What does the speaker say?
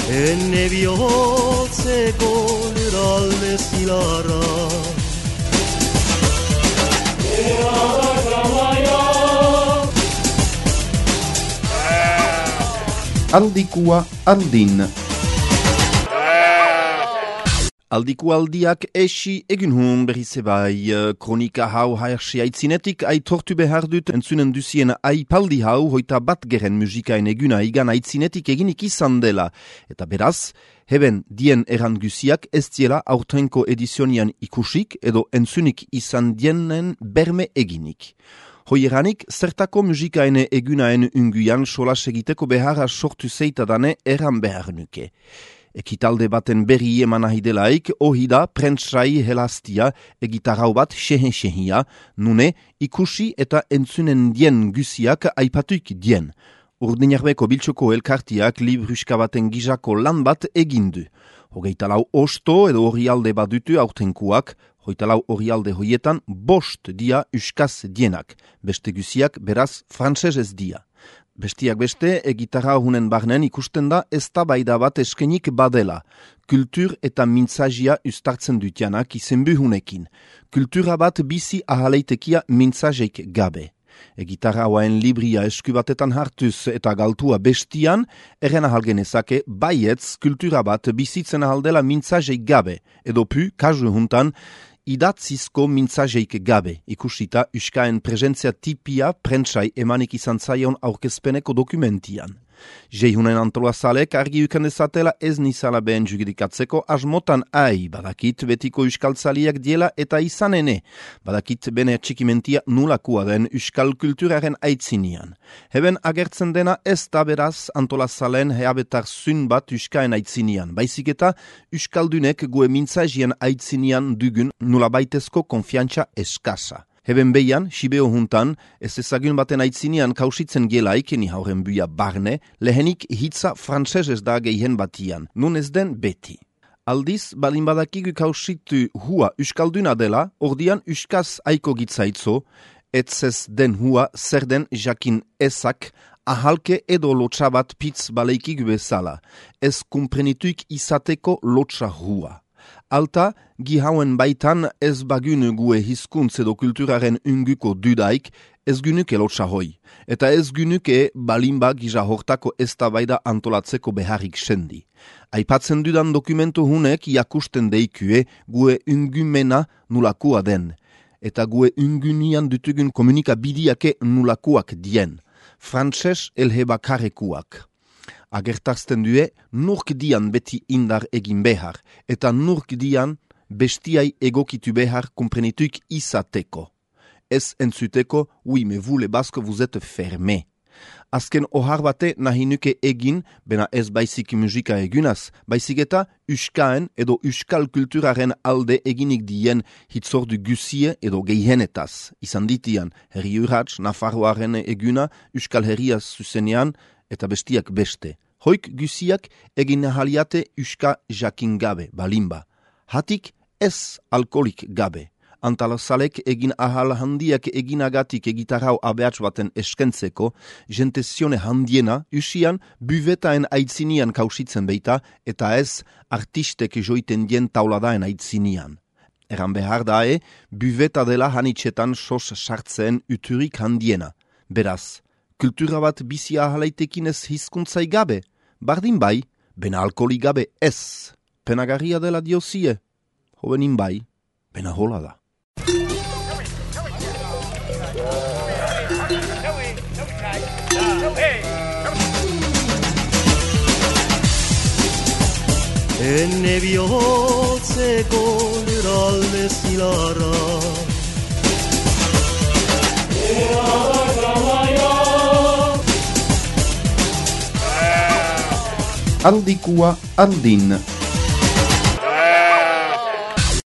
Enne bihotzeko lurralde zilarra Aldikua andin. Aldiku aldiak esi egin hun berriz ebai, kronika hau haersi aitzinetik aitortu behar dut entzunen duzien aipaldi hau hoita bat geren musikaen eguna igan aitzinetik eginik izan dela. Eta beraz, heben dien eran guziak ez diela aurtenko edizionian ikusik edo entzunik izan dienen berme eginik. Hoieranik, zertako musikaene egunaen unguian solas egiteko beharra sortu zeitadane eran behar nuke. Ekitalde baten berri eman ahidelaik, ohida prentsai helaztia egitarrau bat xehen-xehia, nune ikusi eta entzunen dien guziak aipatuik dien. Urdinarbeko biltxoko elkartiak libruska baten gizako lan bat egindu. Hogeita lau osto edo orrialde badutu aurtenkuak, hogeita lau orrialde hoietan bost dia uskaz dienak, beste guziak beraz frantsesez dia. Bestiak beste, egitarra hunen barnen ikusten da eztabaida bat eskenik badela. Kultur eta mintzazia ustartzen dutianak izenbuhunekin. Kultura bat bizi ahaleitekia mintzazeik gabe. Egitarra hauen libria eskubatetan hartuz eta galtua bestian, erren ahalgenezake baietz kultura bat bizitzen ahaldela mintzazeik gabe. Edo pu, kasu juntan, idatzizko mintzazeik gabe, ikusita uskaen presentzia tipia prentsai emanik izan zaion aurkezpeneko dokumentian. Jeihunen antolazalek argi uken dezatela ez nizala behen jugidikatzeko asmotan badakit betiko euskaltzaliak diela eta izanene, badakit bene txikimentia nulakua den euskal kulturaren aitzinian. Heben agertzen dena ez da beraz antolazalen heabetar zun bat euskaen aitzinian, baizik eta euskaldunek gue mintzazien aitzinian dugun nulabaitezko konfiantza eskasa. Heben behian, Sibeo juntan, ez ezagun baten aitzinian kausitzen gelaik, ni hauren buia barne, lehenik hitza frantsesez da gehen batian, nun ez den beti. Aldiz, balin badakigu kausitu hua euskalduna dela, ordian euskaz aiko gitzaitzo, etzez den hua zer den jakin ezak, ahalke edo lotsa bat pitz baleikik bezala, ez kumprenituk izateko lotsa hua. Alta, gihauen baitan ez bagun gue hizkuntz edo kulturaren unguko dudaik, ez gunuke lotsa hoi. Eta ez gunuke balinba gija hortako eztabaida antolatzeko beharrik sendi. Aipatzen dudan dokumentu hunek jakusten deikue gue ungumena nulakua den. Eta gue ungunian dutugun komunikabidiake nulakuak dien. Frantses elhebakarekuak. Agertarzten due, nurk dian beti indar egin behar, eta nurk dian bestiai egokitu behar komprenituik izateko. Ez entzuteko, oui, mais vous les basques vous êtes fermés. Azken ohar bate nahi nuke egin, bena ez baizik musika egunaz, baizik eta uskaen edo uskal kulturaren alde eginik dien hitzordu guzie edo gehienetaz. Izan ditian, herri urratz, Nafarroaren eguna, uskal herriaz zuzenean, eta bestiak beste. Hoik guziak egin ahaliate uska jakin gabe, balimba. Hatik ez alkoholik gabe. Antalazalek egin ahal handiak eginagatik egitarrau abeatz baten eskentzeko, jentezione handiena usian buvetaen aitzinian kausitzen beita, eta ez artistek joiten dien tauladaen aitzinian. Eran behar dae, buveta dela hanitxetan sos sartzen uturik handiena. Beraz, kultura bat bizi ahalaitekin ez hizkuntzai gabe, bardin bai, bena alkoholi gabe ez. Penagarria dela diozie, hobenin bai, bena hola da. Enne bihotzeko lurralde zilarra Aldikua andin.